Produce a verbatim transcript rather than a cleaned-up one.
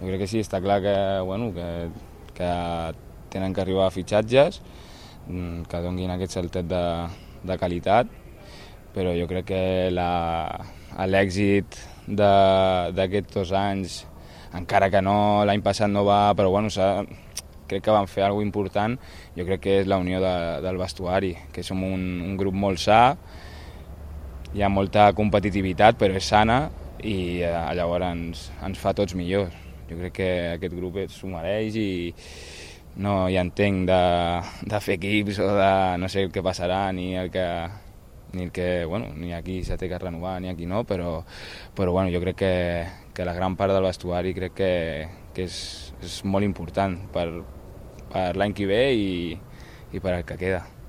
Jo crec que sí, està clar que, bueno, que, que tenen que arribar a fitxatges que donguin aquest saltet de, de qualitat, però jo crec que l'èxit d'aquests dos anys, encara que no l'any passat no va, però bueno, crec que van fer alguna cosa important, jo crec que és la unió de, del vestuari, que som un, un grup molt sa, hi ha molta competitivitat però és sana i eh, llavors ens, ens fa tots millors. Jo crec que aquest grup s'ho mereix i no hi entenc de, de fer equips o de no sé el que passarà ni el que, ni el que bueno, ni aquí s'ha de renovar ni aquí no, però, però bueno, jo crec que, que la gran part del vestuari crec que, que és, és molt important per, per l'any que ve i, i per al que queda.